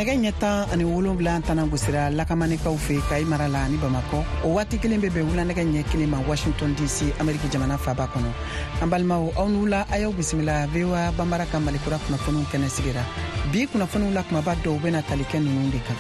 Nɛgɛ ɲɛ 17 tana gosira Lakamanikaw fɛ Kayi mara la ani Bamakɔ. O waati kelen bɛ bɛn wula nɛgɛ ɲɛ 1 ma Washington DC, Ameriki jamana faba kɔnɔ. An balimaw, aw ni wula, a y'aw bisimila VOA Banbara ka Malikura kunnafoniw kɛnɛ sigira. Bi kunnafoniw la kumaba dɔw bɛna tali kɛ ninnu de kan.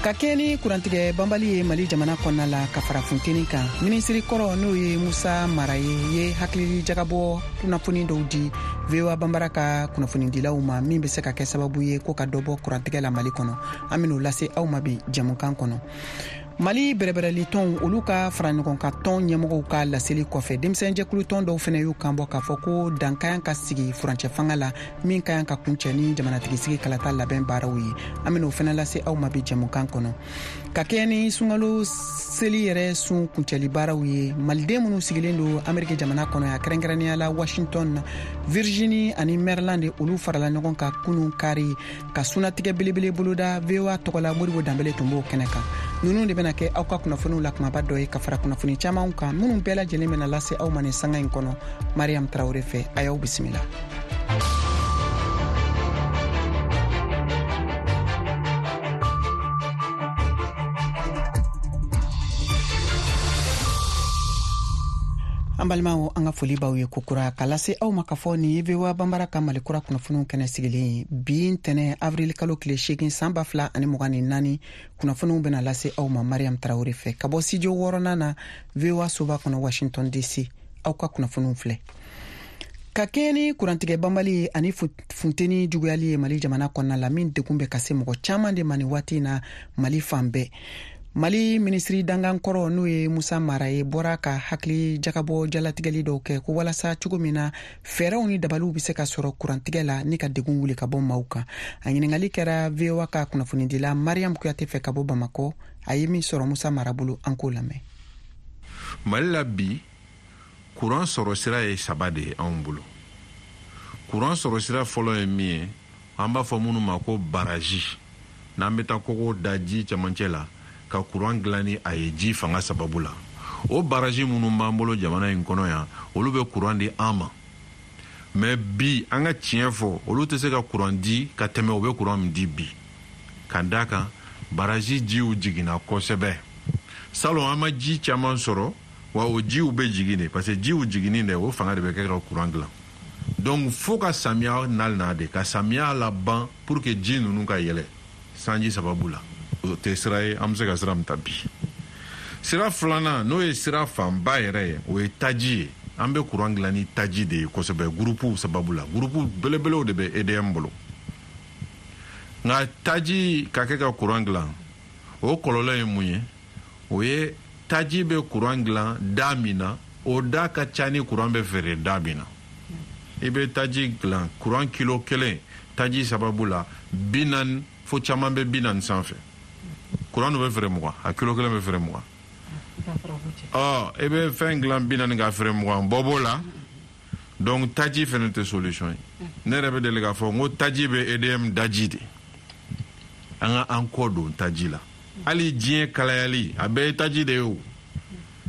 Ka kɛɲɛ ni kurantigɛ banbali ye Mali jamana kɔnɔna la ka fara funteni kan, minisiri kɔrɔ n'o ye Musa Mara ye, ye hakili jagabɔ kunnafoni dɔw di VOA Banbara ka kunnafonidilaw ma min bɛ se ka kɛ sababu ye ko ka dɔ bɔ kurantigɛ la Mali kɔnɔ. An ben'o lase aw ma bi jɛmukan kɔnɔ. Mali bɛrɛbɛrɛli tɔnw olu ka fara ɲɔgɔn kan tɔn ɲɛmɔgɔw ka laseli kɔfɛ, denmisɛnjɛkulu tɔn dɔw fɛnɛ y'u kan bɔ k'a fɔ ko dan ka kan ka sigi furancɛ fanga la min ka kan ka kuncɛ ni jamanatigisigi kalata labɛn baaraw ye. An ben'o fɛnɛ lase aw ma bi jɛmukan kɔnɔ. Ka kɛɲɛ ni sunkalo seli yɛrɛ sun kuncɛli baaraw ye, maliden minnu sigilen don Ameriki jamana kɔnɔ yan, kɛrɛnkɛrɛnnenya la Washington, Virginie ani Maryland, olu farala ɲɔgɔn kan kunun kari ka sunatigɛ belebele boloda. VOA tɔgɔla Modibo Danbele tun b'o kɛnɛ kan. Ninnu de bɛna kɛ aw ka kunnafoniw la kumaba dɔ ye ka fara kunnafoni camanw kan minnu bɛɛ lajɛlen bɛna lase aw ma nin sanga in kɔnɔ Mariam Tarawele fɛ. A y'aw bisimila. An balimaw, an ka foli b'aw ye kokura ka lase aw ma k'a fɔ nin ye VOA Banbara ka Malikura kunnafoniw kɛnɛ sigilen ye. Bi ntɛnɛ, avril kalo tile 8, san 2024, kunnafoniw bɛna lase aw ma Mariam Tarawele fɛ ka bɔ studio wɔɔrɔnan na VOA soba kɔnɔ Washington DC. Aw ka kunnafoniw filɛ. Ka kɛɲɛ ni kurantigɛ banbali ani funteni juguyali ye Mali jamana kɔnɔna la, min degun bɛ ka se mɔgɔ caman de ma nin waati in na Mali fan bɛɛ, Mali minisiri dangan kɔrɔ n'o ye Musa Mara ye bɔra ka hakili jagabɔ jalatigɛli dɔw kɛ ko walasa cogo min na fɛɛrɛw ni dabaliw bɛ se ka sɔrɔ kurantigɛ la ni ka degun wuli ka bɔ maaw kan. A ɲiningali kɛra VOA ka kunnafonidila Mariam Kuyate fɛ ka bɔ Bamakɔ. A ye min sɔrɔ Musa Mara bolo, an k'o lamɛn. Mali la bi, kuran sɔrɔ sira ye saba de ye anw bolo. Kuran sɔrɔ sira fɔlɔ ye min ye, an b'a fɔ minnu ma ko baraji, n'an bɛ taa kogo da ji cɛmancɛ la ka kuran dilan ni a ye ji fanga sababu la. O baraji minnu b'an bolo jamana in kɔnɔ yan, olu bɛ kuran di an ma, mais bi, an ka tiɲɛ fɔ, olu tɛ se ka kuran di ka tɛmɛ u bɛ kuran min di bi, ka d'a kan baraji jiw jiginna kosɛbɛ. Salon an ma ji caman sɔrɔ, wa o jiw bɛ jigin de, parce que jiw jiginni dɛ, o fanga de bɛ kɛ ka kuran dilan. Donc fo ka samiya nali na de, ka samiya laban pour que ji ninnu ka yɛlɛ sanji sababu la. O tɛ sira ye an bɛ se ka sira min ta bi. Sira filanan, n'o ye sira fanba yɛrɛ ye, o ye taji ye. An bɛ kuran dilan ni taji de ye kosɛbɛ, gurupuw sababu la. Gurupu belebelew de bɛ EDM bolo. Nka taji ka kɛ ka kuran dilan, o kɔlɔlɔ ye mun ye? O ye taji bɛ kuran dilan da min na, o da ka ca ni kuran bɛ feere da min na. I bɛ taji dilan kuran kilo 1 taji sababu la 40, fo caman bɛ 40 sanfɛ. Kuran dun bɛ feere 20, a kilo 1 bɛ feere 20. Ɔ, i bɛ fɛn dilan 40 ka feere 20, bɔ b'o la. Donc taji fɛnɛ tɛ solution ye. Ne yɛrɛ bɛ deli k'a fɔ n ko taji bɛ EDM daji de. An ka an kɔ don taji la. Hali diɲɛ kalayali, a bɛɛ ye taji de ye o.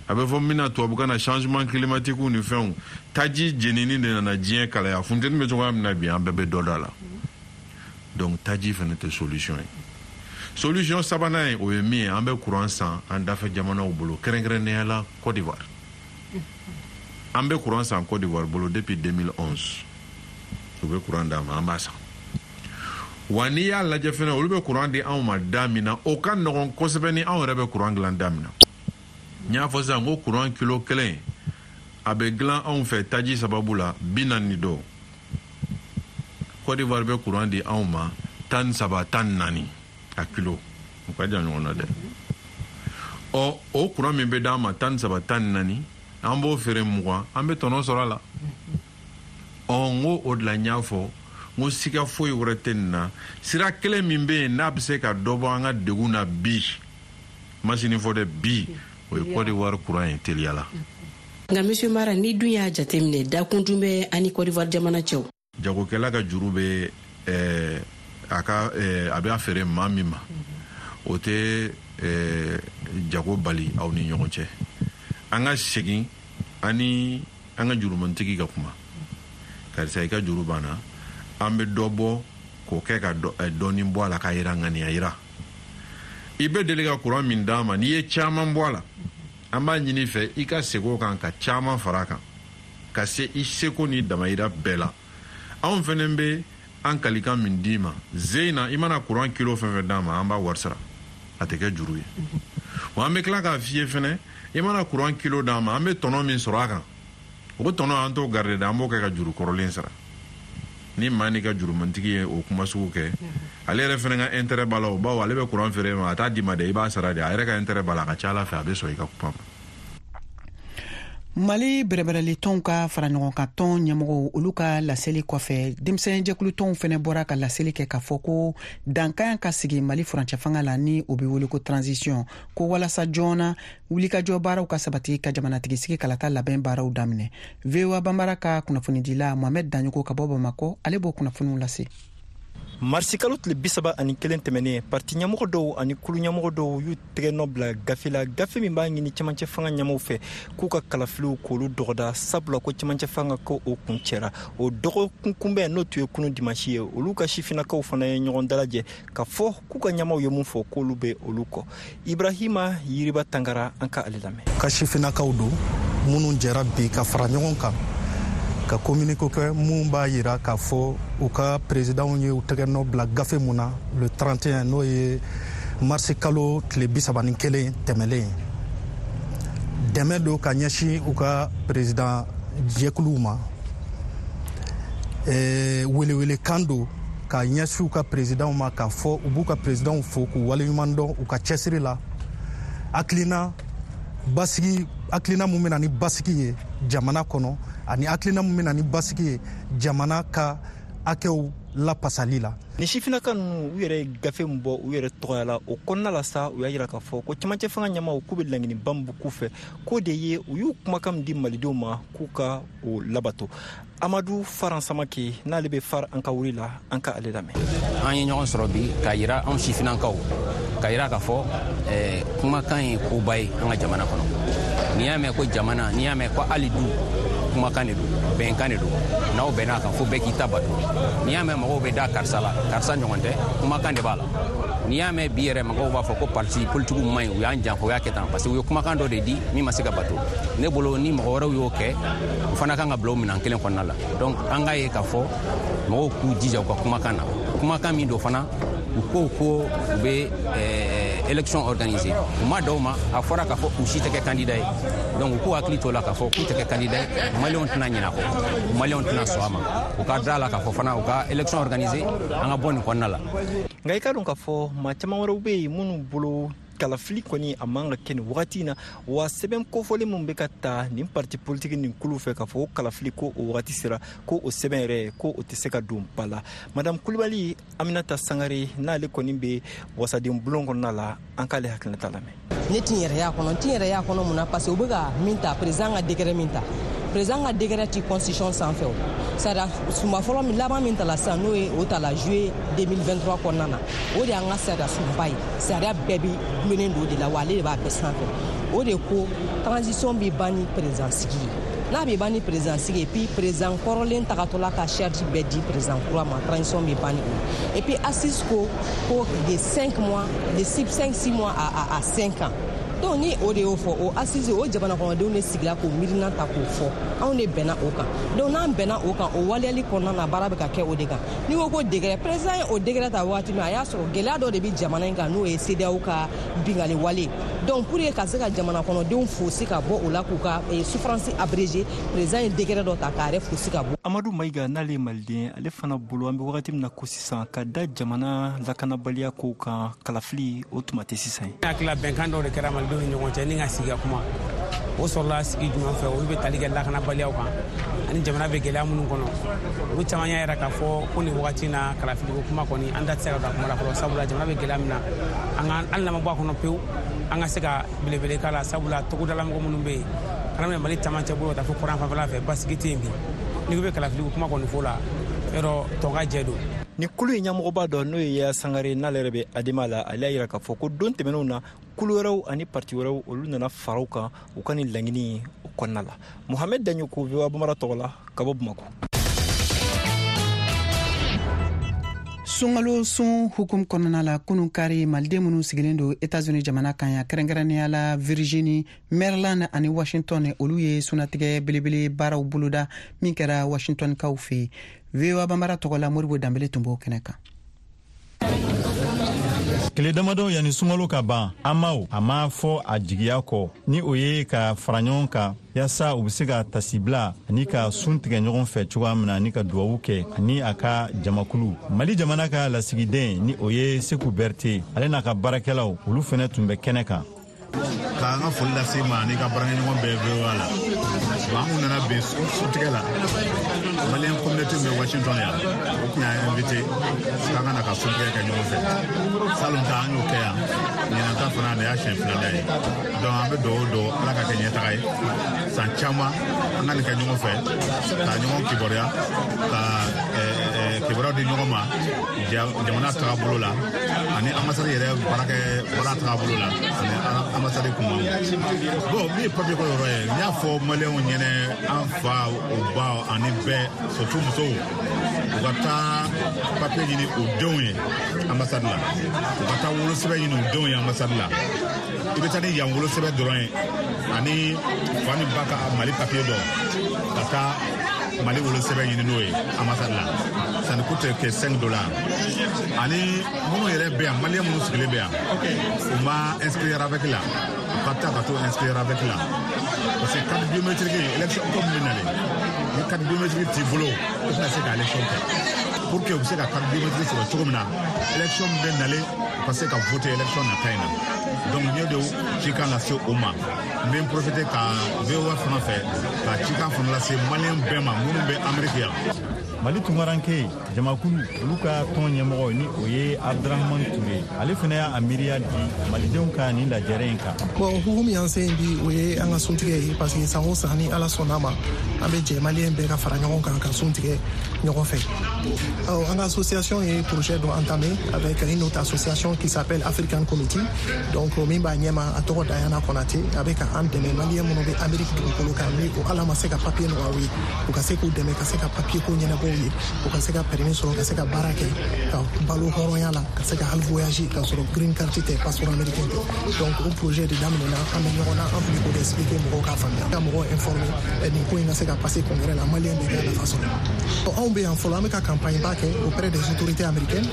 A bɛ fɔ min na tubabukan na changement climatique ni fɛnw, taji jenini de nana diɲɛ kalaya. Funteni bɛ cogoya min na bi, an bɛɛ bɛ dɔ da la. Donc taji fɛnɛ tɛ solution ye. Solution sabanan ye, o ye min ye, an bɛ courant san an dafɛ jamanaw bolo, kɛrɛnkɛrɛnnenya la Côte d'Ivoire. An bɛ courant san Côte d'Ivoire bolo depuis 2011. U bɛ courant d'an ma, an b'a san. Wa n'i y'a lajɛ fɛnɛ, olu bɛ courant di anw ma da min na, o ka nɔgɔn kosɛbɛ ni anw yɛrɛ bɛ courant dilan da min na. N y'a fɔ sisan ko courant kilo 1 a bɛ dilan anw fɛ taji sababu la 40 ni dɔ. Côte d'Ivoire bɛ courant di anw ma 13, 14 a kilo. O ka jan ɲɔgɔn na dɛ. Ɔ, o courant min bɛ d'an ma 13, 14, an b'o feere 20, an bɛ tɔnɔ sɔrɔ a la. Ɔ, n ko o de la n y'a fɔ n ko siga foyi wɛrɛ tɛ nin na. Sira kelen min bɛ yen n'a bɛ se ka dɔ bɔ an ka degun na bi, masini fɔ dɛ, bi, o ye Côte d'Ivoire courant ye teliya la. Nka monsieur Mara, ni dun y'a jateminɛ, dakun dun bɛ ani Côte d'Ivoire jamana cɛw. Jagokɛla ka juru bɛ, a ka, a bɛ a feere maa min ma, o tɛ, jago bali aw ni ɲɔgɔn cɛ. An ka segin ani an ka jurumantigi ka kuma. Karisa, i ka juru banna, an bɛ dɔ bɔ K'o kɛ ka dɔɔni bɔ a la, k'a yira ŋaniya yira. I bɛ deli ka kuran min d'an ma, n'i ye caman bɔ a la, an b'a ɲini fɛ i ka segin o kan ka caman fara a kan, ka se i seko ni damayira bɛɛ la. Anw fɛnɛ bɛ an kalikan min d'i ma zeyina, i mana kuran kilo fɛn fɛn d'an ma, an b'a wari sara, a tɛ kɛ juru ye. Wa an bɛ tila k'a f'i ye fɛnɛ, i mana kuran kilo d'an ma, an bɛ tɔnɔ min sɔrɔ a kan, o tɔnɔ an t'o garder dɛ, an b'o kɛ ka juru kɔrɔlen sara. Ni maa n'i ka jurumantigi ye o kuma sugu kɛ, ale yɛrɛ fɛnɛ ka intérêt b'a la o, bawo ale bɛ kuran feere ma, a t'a d'i ma dɛ, i b'a sara de, a yɛrɛ ka intérêt b'a la. A ka ca ala fɛ, a bɛ sɔn i ka kuma ma. Mali bɛrɛbɛrɛlitɔnw ka faraɲɔgɔnkan tɔn ɲɛmɔgɔw, olu ka laseli kɔfɛ, denmisɛnjɛkulutɔnw fɛnɛ bɔra ka laseli kɛ k'a fɔ ko dankan ka sigi Mali furancɛ fanga la, ni o be wele ko transition, ko walasa joona wulikajɔ baaraw ka sabati ka jamanatigisigi kalata labɛn baaraw daminɛ. VOA Banbara ka kunnafonidila Mohamɛd Daɲogo ka bɔ Bamakɔ, ale b'o kunnafoniw lase. Marisikalo tile 31 tɛmɛnen, parti ɲɛmɔgɔ dɔw ani kulu ɲɛmɔgɔ dɔw y'u tɛgɛ nɔ bila gafe la, gafe min b'a ɲini cɛmancɛ fanga ɲɛmaw fɛ k'u ka kalafiliw k'olu dɔgɔda, sabula ko cɛmancɛ fanga ko o kuncɛra. O dɔgɔkun kunbɛn, n'o tun ye kunu dimansi ye, olu ka sifinnakaw fana ye ɲɔgɔn dalajɛ ka fɔ k'u ka ɲɛmaw ye mun fɔ, k'olu bɛ olu kɔ. Ibrahima Yiriba Tangara, an ka ale lamɛn. Ka sifinnakaw don minnu jɛra bi ka fara ɲɔgɔn kan ka communiqué kɛ mun b'a yira k'a fɔ u ka présidentw ye u tɛgɛ nɔ bila gafe mun na le 31, n'o ye marisi kalo tile 31 tɛmɛlen. Dɛmɛ don ka ɲɛsin u ka président jɛkuluw ma, welewelekan don ka ɲɛsin u ka présidentw ma, k'a fɔ u b'u ka présidentw fo k'u waleɲuman dɔn u ka cɛsiri la, hakilina basigi, hakilina mun bɛna ni basigi ye jamana kɔnɔ, ani hakilina mun bɛna ni basigi ye jamana ka hakɛw lapasali la. Ni sifinnaka ninnu, u yɛrɛ ye gafe min bɔ u yɛrɛ tɔgɔya la, o kɔnɔna la sa, u y'a yira k'a fɔ ko cɛmancɛ fanga ɲɛmaw k'u bɛ laɲiniba min k'u fɛ, k'o de ye u y'u kumakan min di malidenw ma, k'u ka o labato. Amadu Faran Samake, n'ale bɛ Far an ka wuli la, an ka ale lamɛn. An ye ɲɔgɔn sɔrɔ bi k'a yira anw sifinnakaw, k'a yira k'a fɔ kumakan ye koba ye an ka jamana kɔnɔ. N'i y'a mɛn ko jamana, n'i y'a mɛn ko hali du, kumakan de don, bɛnkan de don. N'aw bɛnna a kan, fo bɛɛ k'i ta bato. N'i y'a mɛn mɔgɔw bɛ da karisa la, karisa ɲɔgɔn tɛ, kumakan de b'a la. N'i y'a mɛn bi yɛrɛ mɔgɔw b'a fɔ ko parti politigiw man ɲi, u y'an janfa, u y'a kɛ tan, parce que u ye kumakan dɔ de di min ma se ka bato. Ne bolo, ni mɔgɔ wɛrɛw y'o kɛ, u fana kan ka bila o minɛn kelen kɔnɔna la. Donc an k'a ye k'a fɔ mɔgɔw k'u jija u ka kumakan na, kumakan min don fana, u ko ko u bɛ élection organiser, u ma dɔw ma, a fɔra k'a fɔ u si tɛ kɛ candidat ye. Donc u k'u hakili t'o la k'a fɔ k'u tɛ kɛ candidat ye, maliyɛnw tɛna ɲinɛ a kɔ, maliyɛnw tɛna sɔn a ma. U ka da la k'a fɔ fana u ka élection organiser, an ka bɔ nin kɔnɔna la. Nka i k'a dɔn k'a fɔ maa caman wɛrɛw bɛ yen minnu bolo kalafili kɔni a man ka kɛ nin wagati in na. Wa sɛbɛn kofɔlen min bɛ ka ta nin parti politiki nin kulu fɛ k'a fɔ ko kalafili ko o wagati sera, ko o sɛbɛn yɛrɛ ko o tɛ se ka don ba la. Madame Kulibali Aminata Sangare, n'ale kɔni bɛ wasaden bulon kɔnɔna la, an k'ale hakilinata lamɛn. Ne ti n yɛrɛ y'a kɔnɔ, n ti n yɛrɛ y'a kɔnɔ mun na? Parce que u bɛ ka min ta, président ka décret min ta, président ka décret ti constitution sanfɛ. O sariya sunba fɔlɔ min laban min tala sisan, n'o ye o tala juillet 2023 kɔnɔna na, o de y'an ka sariya sunba ye. Sariya bɛɛ bi gulonnen don o de la, wa ale de b'a bɛɛ sanfɛ. O de ko transition bi ban ni président sigi ye. N'a bɛ ban ni président sigi ye, puis président kɔrɔlen tagatɔla ka charge bɛɛ di président kura ma, transition bɛ ban ni o ye. Et puis assise ko ko de 5 mois, de 6, 5, 6 mois à 5 ans. Donc ni o de y'o fɔ, o assise, o jamana kɔnɔdenw de sigila k'o miirina ta k'o fɔ, anw de bɛnna o kan. Donc n'an bɛnna o kan, o waleyali kɔnɔna na, baara bɛ ka kɛ o de kan. N'i ko ko décret, président ye o décret ta waati min, a y'a sɔrɔ gɛlɛya dɔ de bɛ jamana in kan, n'o ye CEDEAO ka bingali wale. Donc pour que ka se ka jamana kɔnɔdenw fosi ka bɔ o la, k'u ka souffrance abrégé, président ye décret dɔ ta k'a yɛrɛ fosi ka bɔ. Amadu Mayiga, n'ale ye maliden, ale fana bolo, an bɛ wagati min na ko sisan, ka da jamana lakanabaliya kow kan, kalafili o tuma tɛ sisan ye. Ne hakili la, bɛnkan dɔw de kɛra malidenw ni ɲɔgɔn cɛ ni ka sigi ka kuma. O sɔrɔla sigi jumɛn fɛ? Olu bɛ tali kɛ lakanabaliyaw kan ani jamana bɛ gɛlɛya minnu kɔnɔ. Olu caman y'a yira k'a fɔ ko nin wagati na, kalafiliko kuma kɔni, an da tɛ se ka don a kuma la fɔlɔ, sabula jamana bɛ gɛlɛya min na, an ka hali n'an ma bɔ a kɔnɔ pewu, an ka se ka belebele k'a la, sabula togodalamɔgɔ minnu bɛ yen, kana minɛ Mali camancɛ bolo ka taa fo kɔrɔn fanfɛla fɛ, basigi tɛ yen bi. N'i ko bɛ kalafiliko kuma kɔni fo la, yɔrɔ tɔn ka jɛ don. Ni kulu in ɲɛmɔgɔba dɔ, n'o ye Yaya Sangare, n'ale yɛrɛ bɛ Adema la, ale y'a yira k'a fɔ ko don tɛmɛnenw na, kulu wɛrɛw ani parti wɛrɛw, olu nana fara u kan u ka nin laɲini o kɔnɔna la. Mohamed Daɲoko, VOA Bambara tɔgɔ la, ka bɔ Bamakɔ. Sunkalo sun hukum kɔnɔna la, kunun kari, maliden minnu sigilen don Etats-Unis jamana kan yan, kɛrɛnkɛrɛnnenya la Virginie, Maryland ani Washington, olu ye sunatigɛ belebele baaraw boloda min kɛra Washingtonkaw fɛ. VOA Banbara tɔgɔ la, Modibo Danbele tun b'o kɛnɛ kan. Tile damadɔ yanni sunkalo ka ban, amaw a ma fɔ a jigiya kɔ ni o ye ka fara ɲɔgɔn kan yaasa u be se ka tasibila ani ka sun tigɛ ɲɔgɔn fɛ cogoya min na, ani ka duwawu kɛ ani a ka jamakulu. Mali jamana ka lasigiden ni o ye Seku Bɛrite, ale n'a ka baarakɛlaw, olu fɛnɛ tun bɛ kɛnɛ kan. K'an ka foli lase ma ani ka baarakɛɲɔgɔn bɛɛ VOA la. Bon, an kun nana bɛn suntigɛ la, Malien communauté bɛ Washington yan, o kun y'an invité k'an ka na ka suntigɛ kɛ ɲɔgɔn fɛ. Salon ta, an y'o kɛ yan, ɲinan ta fana, nin y'a siɲɛ filanan ye. Donc an bɛ dugawu don Ala ka kɛ ɲɛtaga ye, san caman an ka nin kɛ ɲɔgɔn fɛ, ka ɲɔgɔn kibaruya, ka kibaruyaw di ɲɔgɔn ma jamana tagabolo la ani ambassade yɛrɛ baarakɛ baara tagabolo la ani ambassade kuma. Bon, min ye papier ko yɔrɔ ye, n y'a fɔ maliyɛnw ɲɛnɛ, an fa, u ba ani bɛɛ, surtout musow, u ka taa papier ɲini u denw ye ambassade la, u ka taa wolosɛbɛn ɲini u denw ye ambassade la. I bɛ taa ni yan wolosɛbɛn dɔrɔn ye ani fa ni ba ka Mali papier dɔ, ka taa Mali wolosɛbɛn ɲini n'o ye ambassade la. Ça ne coûte que 5 dollars. Ani minnu yɛrɛ bɛ yan, maliyɛn minnu sigilen bɛ yan, u ma inscrire RAVEC la, u ka taa ka t'o inscrire RAVEC la, parce que carte biométrique, élection ko min bɛ nalen, ni carte biométrique t'i bolo, i tɛna se ka élection kɛ. Pour que u bɛ se ka carte biométrique sɔrɔ cogo min na, élection min bɛ nalen, u ka se ka voter élection nata in na. Donc n ye de cikan lase o ma. N bɛ n profiter ka VOA fana fɛ ka cikan fana lase maliyɛn bɛɛ ma minnu bɛ Amérique yan. Mali tunkaranke jamakulu, olu ka tɔn ɲɛmɔgɔ ni o ye Abdurahaman Ture, ale fana y'a miiriya di malidenw ka nin lajɛrɛ in kan. Bon, hukumu y'an se bi, o ye an ka suntigɛ ye, parce que san o san, ni Ala sɔnna ma, an bɛ jɛ maliyɛn bɛɛ ka fara ɲɔgɔn kan ka sun tigɛ ɲɔgɔn fɛ. An ka association ye projet dɔ entamé avec une autre association qui s'appelle African Committee. Donc min b'a ɲɛma, a tɔgɔ Diana Konate, a bɛ ka an dɛmɛ, maliyɛn minnu bɛ Amérique dugukolo kan ni o Ala ma se ka papier nɔgɔya u ye, u ka se k'u dɛmɛ ka se ka papier ko ɲɛnabɔ u ye, u ka se ka permis sɔrɔ, ka se ka baara kɛ, ka balo hɔrɔnya la, ka se ka hali voyage ka sɔrɔ green card tɛ, passeport américain tɛ. Donc o projet de daminɛna, an bɛ ɲɔgɔn na, an tun bɛ k'o de expliquer mɔgɔw k'a faamuya, ka mɔgɔw informer nin ko in ka se ka passer congrès la, maliyɛn bɛɛ ka nafa sɔrɔ. Anw bɛ yan fɔlɔ, an bɛ ka campagne ba kɛ auprès des autorités américaines,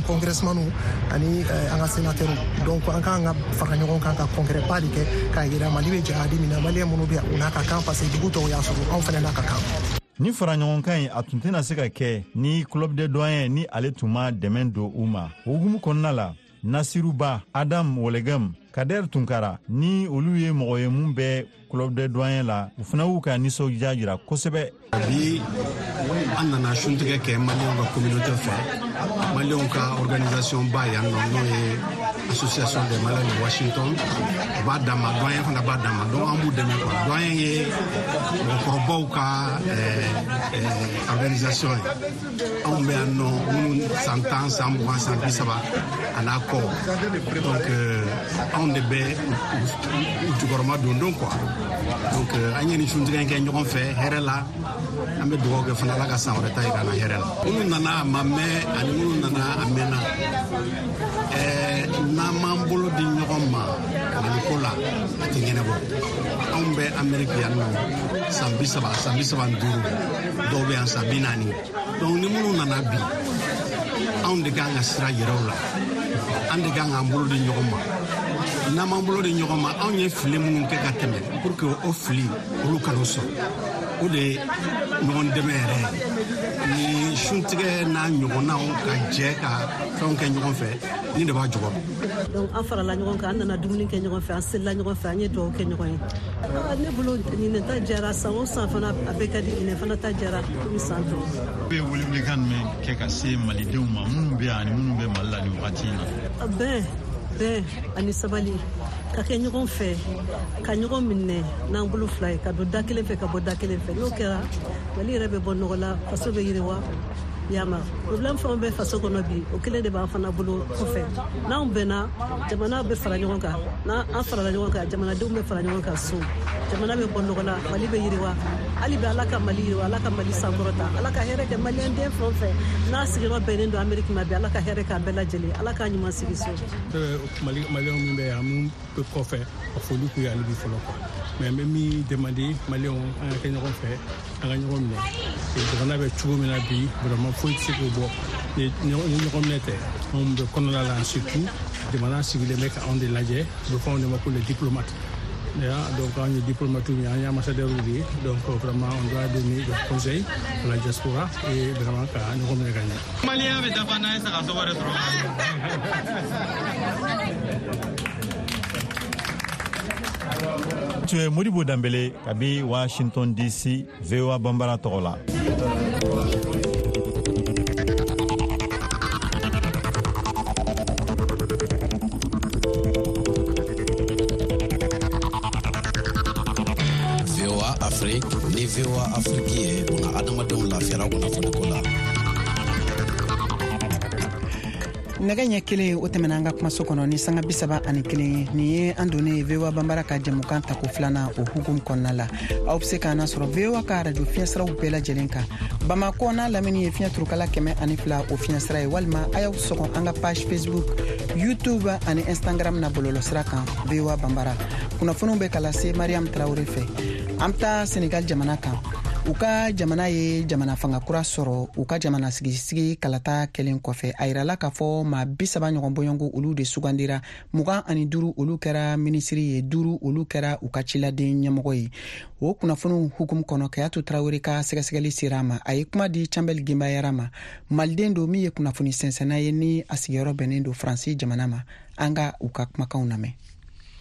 congressmanu ani an ka sénateurs. Donc an k'an ka fara ɲɔgɔn kan ka congrès ba de kɛ k'a yira Mali bɛ jahadi min na, maliyɛn minnu bɛ yan, u n'a ka kan, parce que dugu tɔw y'a sɔrɔ, anw fana n'a ka kan. Ni fara ɲɔgɔnkan in, a tun tɛna se ka kɛ ni Club des Doyens ni ale tun ma dɛmɛ don u ma. O hukumu kɔnɔna la, Nasiruba Adam Wɔlɛgam, Kader Tunkara, ni olu ye mɔgɔ ye mun bɛ Club des Doyens la, u fana y'u ka nisɔndiya jira kosɛbɛ. Bi, an nana suntigɛ kɛ maliyɛnw ka communauté fɛ, maliyɛnw ka organisation ba yan nɔ, n'o ye Association des Maliens de Washington. O b'a dan ma, doyen fana b'a dan ma, donc an b'u dɛmɛ quoi. Doyen ye mɔgɔkɔrɔbaw ka organisation ye. Anw bɛ yan nɔ minnu san 10, san 20, san 30 a n'a kɔ, donc anw de bɛ u jukɔrɔma don don quoi. Donc an ye nin suntigɛ in kɛ ɲɔgɔn fɛ hɛrɛ la. An bɛ dugawu kɛ fana, Ala ka san wɛrɛ ta yira an na hɛrɛ la. Minnu nana a ma mɛn ani minnu nana a mɛnna, n'an m'an bolo di ɲɔgɔn ma Maliko la, a tɛ ɲɛnabɔ. Anw bɛ Ameriki yan nɔ san 30, san 35, dɔw bɛ yan san 40. Donc ni minnu nana bi, anw de kan ka sira yɛrɛw la, an de kan k'an bolo di ɲɔgɔn ma. N'an m'an bolo di ɲɔgɔn ma, anw ye fili minnu kɛ ka tɛmɛ, pour que o fili olu kana sɔrɔ, o de ye ɲɔgɔn dɛmɛ yɛrɛ ye. Ni suntigɛ n'a ɲɔgɔnnaw ka jɛ ka fɛnw kɛ ɲɔgɔn fɛ, ni de b'a jukɔrɔ. Donc an farala ɲɔgɔn kan, an nana dumuni kɛ ɲɔgɔn fɛ, an selila ɲɔgɔn fɛ, an ye dugawu kɛ ɲɔgɔn ye. Ne bolo, ɲinɛ ta diyara. San o san fana a bɛɛ ka di, ɲinɛ fana ta diyara komi san tɔw. Bɛ welewelekan jumɛn kɛ ka se malidenw ma minnu bɛ yan ani minnu bɛ Mali la nin wagati in na? Bɛn, bɛn ani sabali, ka kɛ ɲɔgɔn fɛ, ka ɲɔgɔn minɛ n'an bolo fila ye, ka don da kelen fɛ, ka bɔ da kelen fɛ. N'o kɛra, Mali yɛrɛ bɛ bɔ nɔgɔ la, faso bɛ yiriwa. Yama problème fɛn bɛ faso kɔnɔ bi, o kelen de b'an fana bolo kɔfɛ. N'anw bɛnna, jamana bɛ fara ɲɔgɔn kan. N'an farala ɲɔgɔn kan, jamanadenw bɛ fara ɲɔgɔn kan so, jamana bɛ bɔ nɔgɔ la, Mali bɛ yiriwa. Hali bi, Ala ka Mali yiriwa, Ala ka Mali sankɔrɔta, Ala ka hɛrɛ kɛ Maliyɛn den fɛn o fɛn n'a sigiyɔrɔ bɛnnen don Ameriki ma bi. Ala ka hɛrɛ k'a bɛɛ lajɛlen, Ala k'a ɲuman sigi so. Maliyɛnw min bɛ yan, min bɛ kɔfɛ, ka foli k'u ye hali bi fɔlɔ quoi. Mais n bɛ min demander Maliyɛnw, an ka kɛ ɲɔgɔn fɛ, an ka ɲɔgɔn minɛ. Jamana bɛ cogo min na bi, vraiment foyi tɛ se k'o bɔ ni ɲɔgɔn minɛ tɛ. Anw bɛ kɔnɔna la, surtout jamana sigilen bɛ ka anw de lajɛ. U bɛ fɔ anw de ma ko les diplomates. Donc an ye diplomate ye, an ye ambassadeur de ye. Donc vraiment on doit donner des conseils à la diaspora et vraiment ka ɲɔgɔn minɛ ka ɲɛ. Maliyɛn bɛ dafa n'an ye saga sogo de sɔrɔ. Tun ye Modibo Danbele kabi Washington DC, VOA Banbara tɔgɔ la. VOA Afrique ni VOA Afrique ye una adamadenw lafiyara kunnafoniko la. Nɛgɛ ɲɛ 1 o tɛmɛna an ka kumaso kɔnɔ ni sanga 31 ye. Nin ye an donnen ye VOA Banbara ka jɛmukan tako filanan o hukumu kɔnɔna la. Aw be se k'an nasɔrɔ VOA ka arajo fiɲɛsiraw bɛɛ lajɛlen kan, Bamakɔ n'a lamini ye fiɲɛ turukala 102 o fiɲɛsira ye, walima a y'aw sɔgɔ an ka page Facebook, YouTube ani Instagram na bɔlɔlɔsira kan, VOA Banbara. Kunnafoniw bɛ ka lase Mariam Tarawure fɛ. An bɛ taa Senegal jamana kan. U ka jamana ye jamana fanga kura sɔrɔ u ka jamana sigisigi kalata kɛlen kɔfɛ. A yirala k'a fɔ maa 30 ɲɔgɔn bɔɲɔgɔnko olu de sugandira, 25 olu kɛra minisiri ye, 5 olu kɛra u ka ciladen ɲɛmɔgɔ ye. O kunnafoniw hukumu kɔnɔ, Kayatu Tarawele ka sɛgɛsɛgɛli sera a ma. A ye kuma di Canbɛli Genbayara ma, maliden don min ye kunnafoni sɛnsɛnna ye ni a sigiyɔrɔ bɛnnen don Faransi jamana ma. An ka u ka kumakanw lamɛn.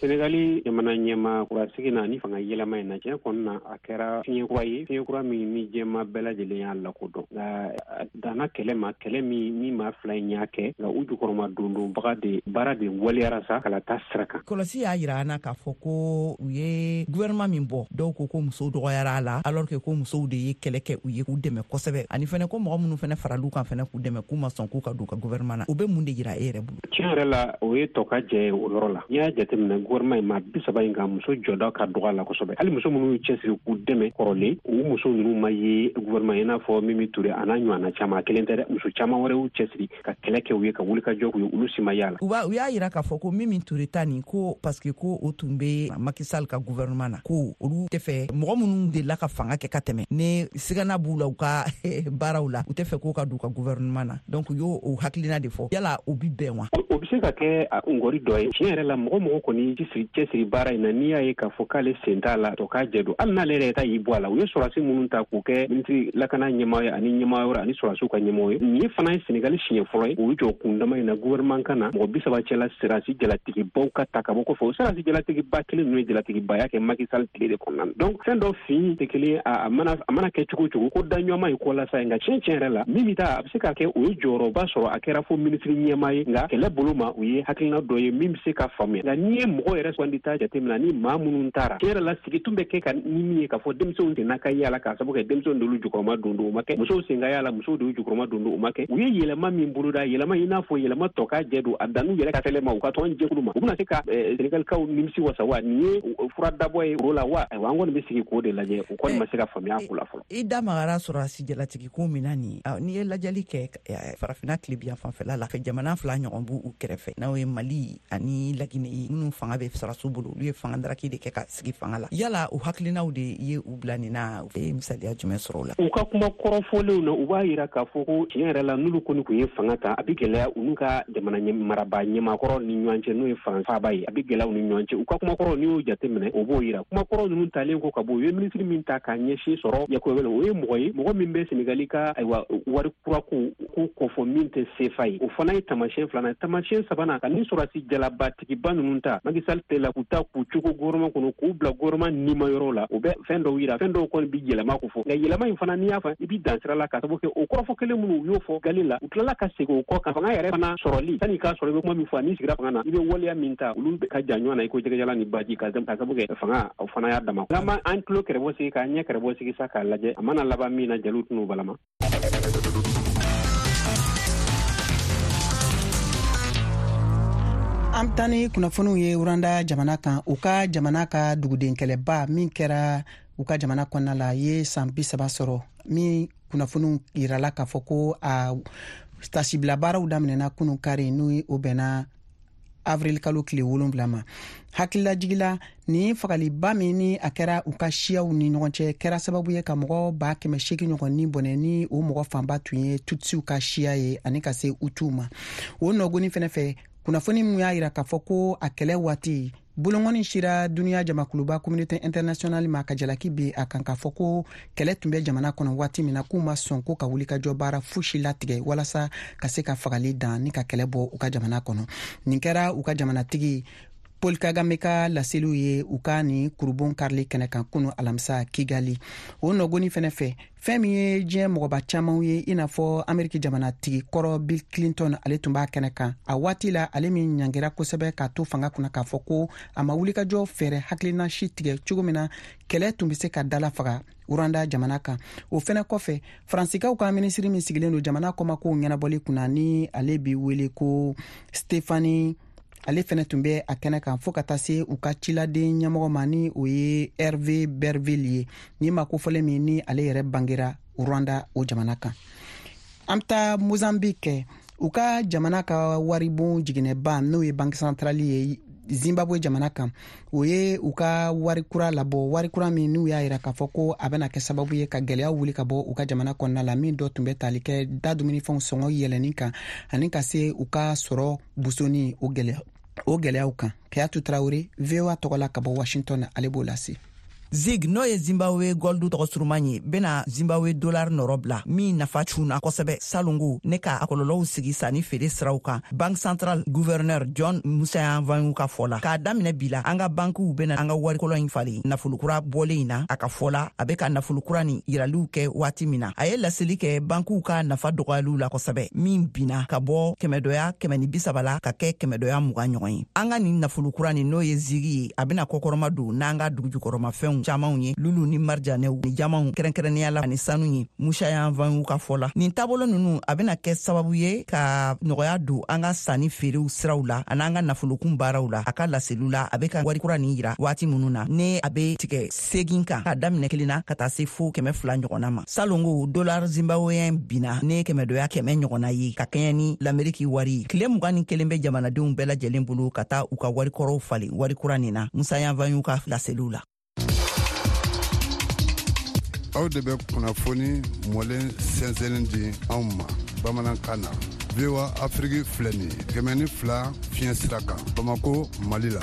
Senegali jamana ɲɛma kurasigi na ni fanga yɛlɛma in na, tiɲɛ kɔni na, a kɛra fiɲɛ kura ye, fiɲɛ kura min ni jɛma bɛɛ lajɛlen y'a lakodɔn. Nka a danna kɛlɛ ma, kɛlɛ min ni maa fila in y'a kɛ, nka u jukɔrɔma dondonbaga de baara de waleyara sa kalata sira kan. Kɔlɔsi y'a yira an na k'a fɔ ko u ye gouvernement min bɔ, dɔw ko ko musow dɔgɔyara a la, alors que ko musow de ye kɛlɛ kɛ u ye k'u dɛmɛ kosɛbɛ, ani fɛnɛ ko mɔgɔ minnu fɛnɛ faral'u kan fɛnɛ k'u dɛmɛ, k'u ma sɔn k'u ka don u ka gouvernement na. O bɛ mun de yira e yɛrɛ bolo? Tiɲɛ yɛrɛ la, o ye tɔ ka jɛ ye o yɔrɔ la. N'i y'a jateminɛ gouvernement in, maa 30 in kan, muso jɔda ka dɔgɔ a la kosɛbɛ. Hali muso minnu y'u cɛsiri k'u dɛmɛ kɔrɔlen, u muso ninnu ma ye gouvernement, i n'a fɔ Mimi Ture a n'a ɲɔgɔnna caman. A kelen tɛ dɛ, muso caman wɛrɛ y'u cɛsiri ka kɛlɛ kɛ u ye, ka wuli ka jɔ k'u ye, olu si ma y'a la. U y'a yira k'a fɔ ko Mimi Ture ta nin ko parce que ko o tun bɛ Macky Sall ka gouvernement na, ko olu tɛ fɛ mɔgɔ minnu delila ka fanga kɛ ka tɛmɛ, ne sigana b'u la u ka baaraw la, u tɛ fɛ k'o ka don u ka gouvernement na. Donc u y'o o hakilina de fɔ. Yala o bi bɛn wa? O bɛ se ka kɛ ngɔri dɔ ye. Tiɲɛ yɛrɛ la, mɔgɔ mɔgɔ kɔni cɛsiri baara in na, n'i y'a ye k'a fɔ k'ale sen t'a la, tɔ k'a jɛ don. Hali n'ale yɛrɛ ta y'i bɔ a la, u ye sɔrɔdasi minnu ta k'u kɛ minisiri lakana ɲɛmaa ye ani ɲɛmaa wɛrɛ ani sɔrɔdasiw ka ɲɛmɔgɔ ye, nin ye fana ye Senegali siɲɛ fɔlɔ ye u jɔ kundama in na gouvernement kan na, mɔgɔ 30 cɛla sɔrɔdasi jalatigibaw ka ta ka bɔ kɔfɛ. O sɔrɔdasi jalatigiba kelen ninnu ye jalatigiba kɛ Macky Sall tile de kɔnɔna na. Donc fɛn dɔ fin tɛ kelen, a mana kɛ cogo o cogo, ko da ɲɔgɔnma ye ko lasa ye. Nka tiɲɛ yɛrɛ la, min bɛ taa, a bɛ se ka kɛ o ye jɔyɔrɔba sɔrɔ, a kɛra fo minisiri ɲɛmaa ye. Nka kɛlɛ bolo ma, u ye hakilina dɔ ye min bɛ se ka faamuya. Nka n'i ye mɔgɔ yɛrɛ sugandi ta jateminɛ ni maa minnu taara, tiɲɛ yɛrɛ la, sigi tun bɛ kɛ ka ni min ye k'a fɔ denmisɛnw sen ka y'a la, k'a sababu kɛ denmisɛnw d'olu jukɔrɔma don don, o ma kɛ. Musow sen ka y'a la, musow de y'u jukɔrɔma don don, o ma kɛ. U ye yɛlɛma min boloda, yɛlɛma i n'a fɔ yɛlɛma tɔ ka jɛ don, a dan'u yɛrɛ ka fɛlɛ ma, u ka tɔn jɛkulu ma, u bɛna se ka Senegalikaw nimisi wasa wa? Nin ye fura dabɔ ye o la wa? Ayiwa, an kɔni bɛ sigi k'o de lajɛ. O kɔni ma se ka faamuya ko la fɔlɔ. I da magara sɔrɔdasi jalatigi ko min na nin, n'i ye lajɛli kɛ farafinna tilebiyan fanfɛla la fɛ, jamana fila ɲɔgɔn b'u kɛrɛfɛ, n'o ye Mali ani Laginɛ ye, minnu fanga bɛ sɔrɔdasiw bolo, olu ye fanga daraki de kɛ ka sigi fanga la. Yala o hakilinaw de ye u bila nin na? U ye misaliya jumɛn sɔrɔ o la? U ka kuma kɔrɔfɔlenw na, u b'a yira k'a fɔ ko tiɲɛ yɛrɛ la, n'olu kɔni tun ye fanga ta, a bɛ gɛlɛya u n'u ka jamana marabaa ɲɛmaakɔrɔ ni ɲɔgɔn cɛ, n'o ye France faaba ye, a bɛ gɛlɛya u ni ɲɔgɔn cɛ. U ka kumakɔrɔ, n'i y'o jateminɛ, o b'o yira. Kumakɔrɔ ninnu talen kɔ ka bɔ, u ye minisiri min ta k'a ɲɛsin sɔrɔ yakubaya, o ye mɔgɔ ye, mɔgɔ min bɛ Senegali ka ayiwa wari kura ko kofɔ min tɛ sefa ye. O fana ye taamasiyɛn filanan. Taamasiyɛn sabanan, ka ni sɔrɔdasi jalabatigiba ninnu ta Macky Sall tɛ la, k'u ta k'u cogo gouvernement kɔnɔ, k'u bila gouvernement nima yɔrɔ la, o bɛ fɛn dɔw yira. Fɛn dɔw kɔni bi yɛlɛma ko fɔ, nka yɛlɛma in fana, n'i y'a fɔ, i bi dan sira la, k'a sababu kɛ o kɔrɔfɔ kelen minnu u y'o fɔ gale la, u tilala ka segin o kɔ kan. Fanga yɛrɛ fana sɔrɔli, sanni k'a sɔrɔ, i bɛ kuma min fɔ n'i sigira fanga na, i bɛ waleya min ta, olu ka jan ɲɔgɔn na i ko jɛgɛjalan ni baji, ka sababu kɛ fanga o fana y'a dama. N'an ma an tulo kɛrɛbɔ sigi k'an ɲɛ kɛrɛbɔ sigi sa k'a lajɛ, a mana laban min na, jeliw tɛn'o balama. An bɛ taa ni kunnafoniw ye Rwanda jamana kan. U ka jamana ka duguden kɛlɛba min kɛra u ka jamana kɔnɔna la ye san 30 sɔrɔ, min kunnafoniw yirala k'a fɔ ko a tasibila baaraw daminɛna kunun kari, n'o o bɛnna avril kalo tile 7 ma. Hakililajigila, nin fagaliba min ni a kɛra u ka siyaw ni ɲɔgɔn cɛ kɛra sababu ye ka mɔgɔ 800,000 ɲɔgɔn ni bɔnɛ, ni o mɔgɔ fanba tun ye Tutsiw ka siya ye ani ka se Hutuw ma. O nɔgɔni fɛnɛ fɛ, kunnafoni min y'a yira k'a fɔ ko a kɛlɛ waati bolongɔni sira duniya jamakuluba communauté internationale ma ka jalaki bi a kan k'a fɔ ko kɛlɛ tun bɛ jamana kɔnɔ waati min na, k'u ma sɔn ko ka wulikajɔ baara fosi latigɛ walasa ka se ka fagali dan ni ka kɛlɛ bɔ u ka jamana kɔnɔ. Nin kɛra u ka jamanatigi Paul Kagame ka laseliw ye u ka nin kurubon karili kɛnɛ kan kunu alamisa Kigali. O nɔgɔni fɛnɛ fɛ, fɛn min ye diɲɛ mɔgɔba camanw ye, i n'a fɔ Ameriki jamanatigi kɔrɔ Bill Clinton, ale tun b'a kɛnɛ kan a waati la, ale min ɲangira kosɛbɛ k'a to fanga kunna k'a fɔ ko a ma wulikajɔ fɛɛrɛ hakilina si tigɛ cogo min na kɛlɛ tun bɛ se ka dala faga Rwanda jamana kan. O fɛnɛ kɔfɛ, Faransikaw ka minisiri min sigilen don jamana kɔmakow ɲɛnabɔli kunna, ni ale bi wele ko Stephanie, ale fɛnɛ tun bɛ a kɛnɛ kan, fɔɔ ka taa se u ka ciladen ɲɛmɔgɔ ma, ni o ye Hervé Berville ye, ni ma kofɔlen min ni ale yɛrɛ bangera Rwanda o jamana kan. An bɛ taa Mozambique, u ka jamana ka waribon jiginɛba, n'o ye banque centrale ye Zimbabwe jamana kan, o ye u ka wari kura labɔ, wari kura min n'u y'a yira k'a fɔ ko a bɛna kɛ sababu ye ka gɛlɛya wuli ka bɔ u ka jamana kɔnɔna la, min dɔ tun bɛ tali kɛ da dumunifɛnw sɔngɔ yɛlɛnni kan ani ka se u ka sɔrɔ busoni o gɛlɛyaw kan. Kayatu Tarawele, VOA tɔgɔ la ka bɔ Washington, ale b'o lase. Zig, n'o ye Zimbabwe goldu tɔgɔ suruman ye, bena Zimbabwe dollar nɔrɔ bila min nafa cunna kosɛbɛ salongo ne ka a kɔlɔlɔw sigi sanni feere siraw kan. Banque centrale gouverneur John Mushayavanhu ka fɔ la, k'a daminɛ bi la, an ka bankiw bena an ka warikɔlɔ in falen nafolokura bɔlen in na. A ka fɔ la, a be ka nafolokura nin yiraliw kɛ waati min na, a ye laseli kɛ bankiw ka nafa dɔgɔyaliw la kosɛbɛ, min binna ka bɔ kɛmɛdɔya 130 la ka kɛ kɛmɛdɔya 20 ɲɔgɔn ye. An ka nin nafolokura nin, n'o ye zigi ye, a bena kɔkɔrɔma don n'an ka dugujukɔrɔmafɛnw camanw ye, lulu ni marijanɛw ni jamanw, kɛrɛnkɛrɛnnenya la ani sanu ye. Mushayavanhu ka fɔ la, nin taabolo nunu a bena kɛ sababu ye ka nɔgɔya don an ka sanni feerew siraw la ani an ka nafolokun baaraw la. A ka laseliw la, a be ka wari kura nin yira waati minnu na ne a be tigɛ 8 kan k'a daminɛ 1 na ka taa se fo 200 ɲɔgɔnna ma. Salongo dollar zimbabwéen binna ne kɛmɛdɔya 100 ɲɔgɔnna ye ka kɛɲɛ ni Lameriki wari ye. Tile 21 bɛ jamanadenw bɛɛ lajɛlen bolo ka taa u ka warikɔrɔw falen wari kura nin na, Mushayavanhu ka laseliw la. Aw de bɛ kunnafoni mɔlen sɛnsɛnnin di anw ma bamanankan na. VOA Afrique filɛ nin ye 102 fiɲɛ sira kan Bamako, Mali la.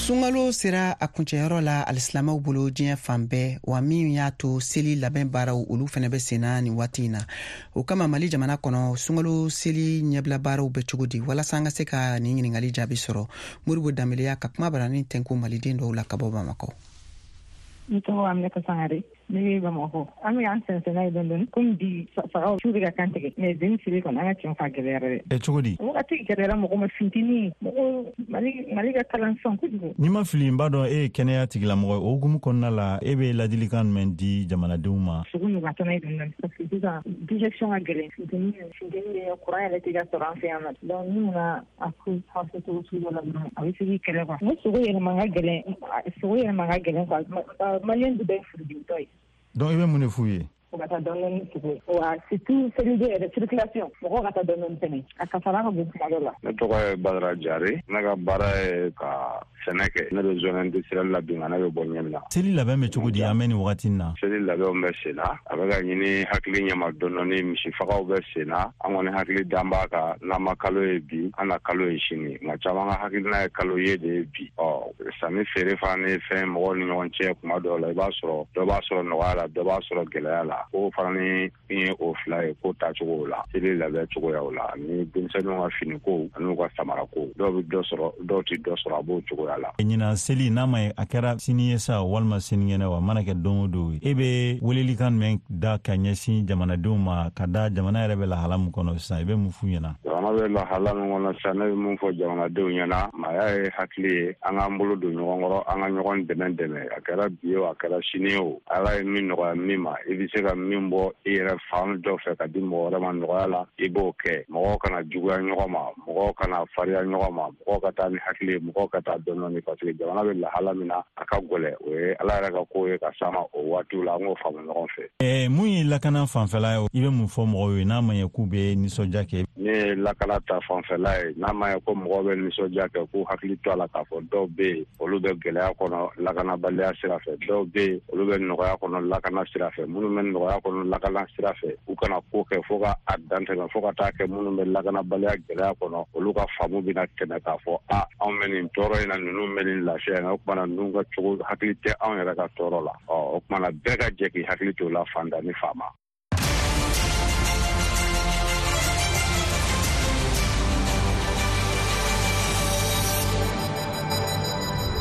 Sunkalo sera a kuncɛyɔrɔ la alisilamɛw bolo diɲɛ fan bɛɛ, wa min y'a to seli labɛn baaraw olu fɛnɛ bɛ senna nin waati in na. O kama, Mali jamana kɔnɔ, sunkalo seli ɲɛbila baaraw bɛ cogo di? Walasa an ka se ka nin ɲiningali jaabi sɔrɔ, Modibo Danbele ka kuma barani tɛnku maliden dɔw la ka bɔ Bamakɔ. N tɔgɔ Aminata Sangare, ne bɛ Bamakɔ. An bɛ an sɛnsɛn n'a ye dɔɔni dɔɔni, komi bi sagaw su bɛ ka kan tigɛ, mais zen siri kɔni, an ka tiɲɛ fɔ, a gɛlɛyara dɛ. Ɛ, cogo di? Wagati gɛlɛyara mɔgɔ ma, funteni, mɔgɔ Mali ka kalan sisan kojugu. N'i ma fili, n b'a dɔn e ye kɛnɛya tigilamɔgɔ ye. O hukumu kɔnɔna la, e bɛ ladilikan jumɛn di jamanadenw ma? Sogo ɲugan tɔ ye dɔɔni dɔɔni, parce que sisan digestion ka gɛlɛn, funteni bɛ, courant yɛrɛ tɛ ka sɔrɔ an fɛ yan nɔ. Donc ni nana a ko passer cogo sugu dɔ la dɔrɔn, a bɛ se k'i kɛlɛ quoi. N ko sogo yɛlɛma ka gɛlɛn, sogo yɛlɛma ka gɛlɛn quoi. Maliyɛn bɛɛ ye furudimitɔ ye. Donc i bɛ mun de f'u ye? U ka taa dɔɔni dɔɔni sogo ye, wa surtout seliden yɛrɛ, circulation, mɔgɔw ka taa dɔɔni dɔɔni fɛnɛ, a kasara ka bon kuma dɔ la. Ne tɔgɔ ye Badara Jare, ne ka baara ye ka sɛnɛ kɛ. Ne bɛ zone industrielle la bi, nka ne bɛ bɔ Ɲɛmina. Seli labɛn bɛ cogo di an bɛ nin wagati in na? Seli labɛnw bɛ sen na, a bɛ ka ɲini hakili ɲɛma dɔɔni dɔɔni, misifagaw bɛ sen na. An kɔni hakili dan b'a kan, n'an ma kalo ye bi, an na kalo ye sini, nka caman ka hakilina ye kalo ye de ye bi. Ɔ sanni feere fana ni fɛn mɔgɔw ni ɲɔgɔn cɛ, kuma dɔw la i b'a sɔrɔ dɔ b'a sɔrɔ nɔgɔya la, dɔ b'a sɔrɔ gɛlɛya la. Ko fana ni min ye o fila ye, ko taacogo la, seli labɛn cogoyaw la, ani denmisɛnninw ka finikow ani u ka samarako, dɔw bɛ dɔ sɔrɔ, dɔw tɛ dɔ sɔrɔ, a b'o cogoya la. Ɲinan seli, n'a ma ye a kɛra sini ye sa walima sinikɛnɛ, wa mana kɛ don o don ye, e bɛ welelikan jumɛn da ka ɲɛsin jamanadenw ma, ka da jamana yɛrɛ bɛ lahala min kɔnɔ sisan, i bɛ mun f'u ɲɛna? Jamana bɛ lahala min kɔnɔ sisan, ne bɛ mun fɔ jamanadenw ɲɛna, maaya ye hakili ye, an k'an bolo don ɲɔgɔn kɔrɔ, an ka ɲɔgɔn dɛmɛ dɛmɛ. A kɛra bi ye o, a kɛra sini ye o, Ala ye min nɔgɔya min ma, i bɛ se ka min bɔ i yɛrɛ fan dɔ fɛ ka di mɔgɔ wɛrɛ ma nɔgɔya la, i b'o kɛ. Mɔgɔw kana juguya ɲɔgɔn ma, mɔgɔw kana fariya ɲɔgɔn ma, mɔgɔw ka taa ni hakili ye, mɔgɔw ka taa dɔɔni dɔɔni, parce que jamana bɛ lahala min na, a ka gɛlɛn. O ye Ala yɛrɛ ka ko ye ka s'a ma o waatiw la, an k'o faamu ɲɔgɔn fɛ. Mun ye lakana fanfɛla ye, i bɛ mun fɔ mɔgɔw ye n'a ma ɲɛ k'u bɛ nisɔndiya kɛ? Ne ye lakana ta fanfɛla ye, n'a ma ɲɛ ko mɔgɔw bɛ nisɔndiya kɛ, k'u hakili to a la k'a fɔ dɔw bɛ yen, olu bɛ gɛlɛya kɔnɔ lakanabaliya sira fɛ, dɔw bɛ yen, olu bɛ nɔgɔya kɔnɔ lakana sira fɛ. Minnu bɛ nɔgɔya kɔnɔ lakana sira fɛ, u kana ko kɛ fo ka a dan tɛmɛ, fo ka taa kɛ minnu bɛ lakanabaliya gɛlɛya kɔnɔ, olu ka faamu bɛna tɛmɛ k'a fɔ a anw bɛ nin tɔɔrɔ in na, ninnu bɛ nin lafiya in na, o tuma na ninnu ka cogo hakili tɛ anw yɛrɛ ka tɔɔrɔ la. Ɔ o tuma na bɛɛ ka jɛ k'i hakili to o la, fantan ni faama.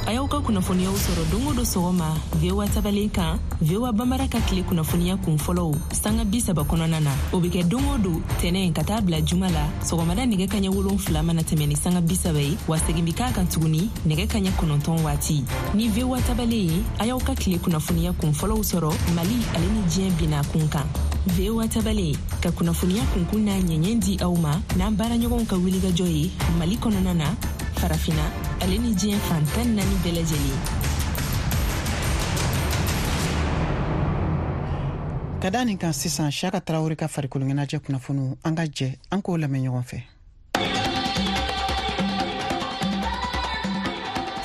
A y'aw ka kunnafoniyaw sɔrɔ don o don sɔgɔma VOA tabalen kan, VOA Bambara ka tile kunnafoniya kun fɔlɔw sanga 30 kɔnɔna na. O bɛ kɛ don o don tɛnɛ ka taa bila juma la sɔgɔmada nɛgɛ kaɲɛ 7 mana tɛmɛ ni sanga 30 ye, wa segin bɛ k'a kan tuguni nɛgɛ kaɲɛ 9 waati. Ni VOA tabalen ye, a y'aw ka tile kunnafoniya kun fɔlɔw sɔrɔ Mali ale ni diɲɛ binna kun kan. VOA tabalen ka kunnafoniya kunkun n'a ɲɛɲɛ di aw ma n'an baaraɲɔgɔnw ka wulikajɔ ye Mali kɔnɔna na, Farafina ale ni diɲɛ fan 14 bɛɛ lajɛlen. Ka da nin kan sisan, Siyaka Tarawele ka farikolo ɲɛnajɛ kunnafoniw, an ka jɛ an k'o lamɛn ɲɔgɔn fɛ.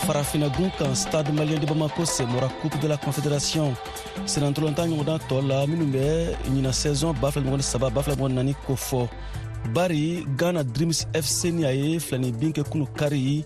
Farafina gun kan, Stade Malien de Bamako senbɔra Coupe de la Confédération senatɔlɔntan ɲɔgɔndan tɔ la minnu bɛ ɲina saison 2023 2024 kofɔ. Bari Ghana Dreams FC ni a ye filani bin kɛ kunu kari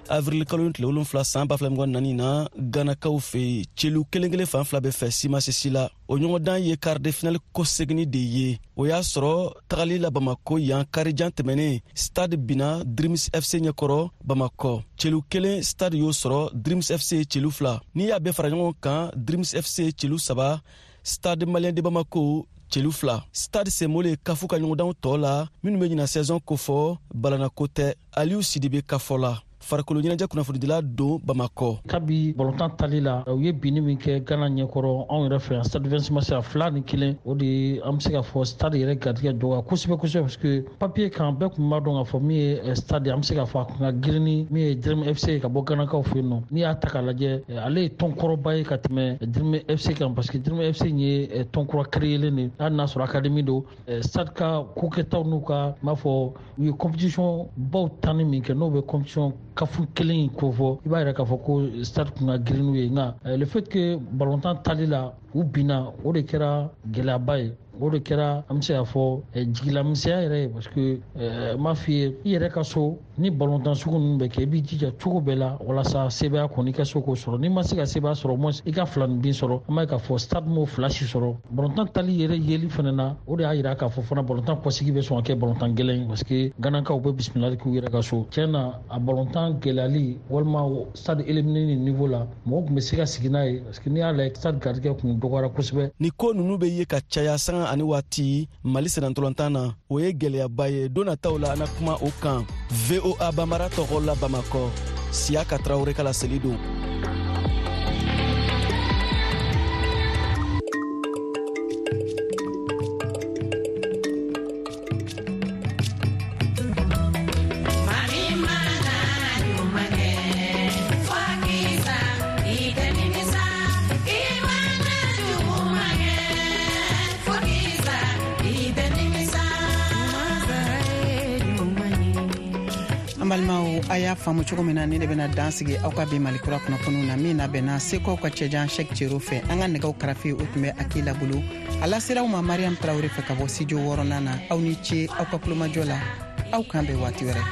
avril kalo tile 7 san 2024 na Ghanakaw fɛ yen, celu kelen kelen fan fila bɛɛ fɛ si ma se si la. O ɲɔgɔndan ye quart de finale kɔseginni de ye. O y'a sɔrɔ tagali la Bamako yan karijan tɛmɛnen, Stade binna Dreams FC ɲɛkɔrɔ Bamakɔ, celu 1 Stade y'o sɔrɔ, Dreams FC ye celu 2. N'i y'a bɛɛ fara ɲɔgɔn kan, Dreams FC ye celu 3, Stade Malien de Bamako celu 2. Stade senbɔlen kafu ka ɲɔgɔndanw tɔ la minnu bɛ ɲina saison kofɔ, balanako tɛ. Aliyu Sidibe ka fɔ la, farikolo ɲɛnajɛ kunnafonidila don Bamakɔ. Kabi balontan tali la, u ye binni min kɛ Ghana ɲɛkɔrɔ anw yɛrɛ fɛ yan Stade 26 mars a 2-1, o de ye an bɛ se k'a fɔ stade yɛrɛ garijɛgɛ dɔgɔya kosɛbɛ kosɛbɛ, parce que papier kan bɛɛ tun b'a dɔn k'a fɔ min ye stade, an bɛ se k'a fɔ a kun ka girin ni min ye Dream FC ka bɔ Ghanakaw fɛ yen nɔ. N'i y'a ta k'a lajɛ, ale ye tɔn kɔrɔba ye ka tɛmɛ Dream FC kan, parce que Dream FC ye tɔn kura créelen de ye, hali n'a sɔrɔ académie don. Stade ka kokɛtaw n'u ka n b'a fɔ u ye compétition baw tanni min kɛ, n'o bɛ compétition kafu kelen in kofɔ, i b'a yɛrɛ k'a fɔ ko stade kun ka girin n'u ye. Nka le fait que balontan tali la u binna, o de kɛra gɛlɛyaba ye, o de kɛra an bɛ se k'a fɔ jigilamisɛnya yɛrɛ ye, parce que n b'a f'i ye, i yɛrɛ ka so ni balontan sugu ninnu bɛ kɛ, i b'i jija cogo bɛɛ la walasa sebaaya kɔni i ka se k'o sɔrɔ. N'i ma se ka sebaaya sɔrɔ, au moins i ka fila ni bin sɔrɔ. An b'a ye k'a fɔ stade m'o fila si sɔrɔ. Balontan tali yɛrɛ yeli fana na, o de y'a yira k'a fɔ fana balontan kɔsigi bɛ sɔn ka kɛ balontan gɛlɛn ye, parce que Ghanakaw bɛ bisimilali k'u yɛrɛ ka so. Tiɲɛ na, a balontan gɛlɛyali walima stade éliminé ni niveau la, mɔgɔw tun bɛ se ka sigi n'a ye, parce que n'i y'a lajɛ stade garijɛgɛ kun dɔgɔyara kosɛbɛ. Ni ko ninnu bɛ ye ka caya sanga ani waati Mali sennantolatan na, o ye gɛlɛyaba ye. Don nataw la an na kuma o kan. VOA Bambara tɔgɔ la Bamakɔ, Siyaka Tarawele ka laseli don. Balimaw, a y'a faamu cogo min na, ne de bɛna dan sigi aw ka bi Mali kura kunnafoniw na min labɛnna Segukaw ka cɛjan Cheick Cero fɛ. An ka nɛgɛw karafe o tun bɛ Akila bolo, a lasera aw ma Mariam Tarawele fɛ ka bɔ studio 6nan na. Aw ni ce aw ka kulomajɔ la, aw kan bɛn waati wɛrɛ.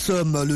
Nous sommes le